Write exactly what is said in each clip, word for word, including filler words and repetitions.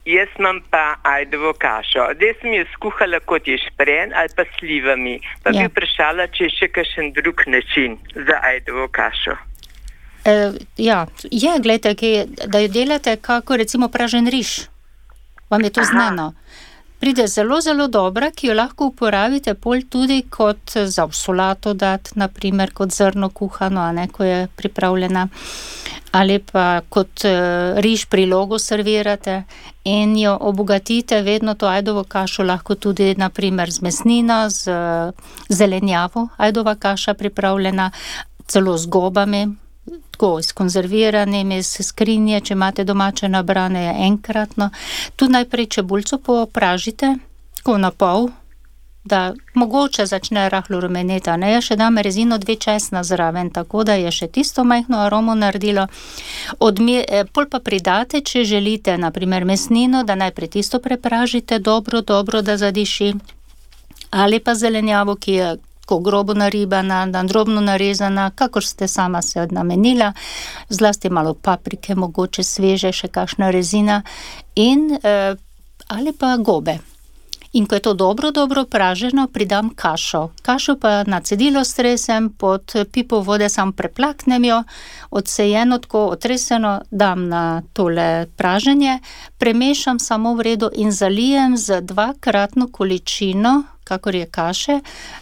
Jaz imam pa ajdovo kašo. Zdaj sem jo skuhala kot ješprenj ali pa s slivami. Pa Ja. bi vprašala, če je še kakšen drug način za ajdovo kašo. E, ja, je, gledajte, ki, da jo delate kako recimo pražen riž. Vam je to Aha. znano. Pride zelo, zelo dobra, ki jo lahko uporabite pol tudi kot za v solato dati, naprimer kot zrno kuhano, a ne, ko je pripravljena. Ali pa kot uh, riž prilogo servirate in jo obogatite, vedno to ajdovo kašo lahko tudi naprimer z mesnino, z uh, zelenjavo, ajdova kaša pripravljena, celo z gobami, tako s konzerviranimi, iz skrinje, če imate domače nabrane, je enkratno. Tu najprej čebulco popražite, tako na pol, da mogoče začne rahlo rumeneti, ne, jaz še dam rezino dve česna zraven, tako da je še tisto majhno aromo naredilo. Odmi, eh, pol pa pridate, če želite, naprimer mesnino, da najprej tisto prepražite dobro, dobro, da zadiši, ali pa zelenjavo, ki je ko grobo naribana, da drobno narezana, kakor ste sama se namenila, zlasti malo paprike, mogoče sveže, še kakšna rezina in eh, ali pa gobe. In ko je to dobro, dobro praženo, pridam kašo. Kašo pa na cedilo stresem, pod pipo vode sam preplaknem jo, odsejeno, tako otreseno, dam na tole praženje, premešam samo v redu in zalijem z dvakratno količino, kakor je kaše,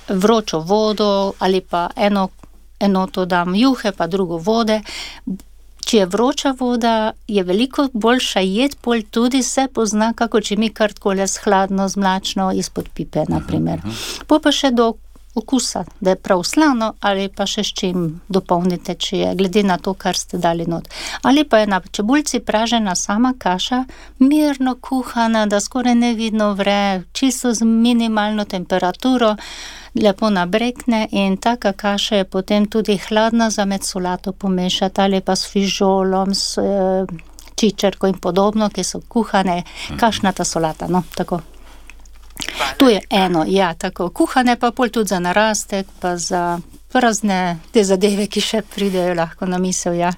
vročo vodo ali pa eno enoto dam juhe, pa drugo vode. Če je vroča voda, je veliko boljša jed, pol tudi se pozna, kako če mi kar takole s hladno, z mlačno izpod pipe, naprimer. Po pa še do okusa, da je prav slano, ali pa še s čim dopolnite, če je, glede na to, kar ste dali not. Ali pa je na čebulci pražena sama kaša, mirno kuhana, da skoraj nevidno vre, čisto z minimalno temperaturo, lepo nabrekne in taka kaša je potem tudi hladna za med solato pomešati, ali pa s fižolom, s e, čičerko in podobno, ki so kuhane, kašnata solata, no, tako. To je eno, ja, tako. Kuhane pa pol tudi za narastek, pa za razne te zadeve, ki še pridejo lahko na misel, ja.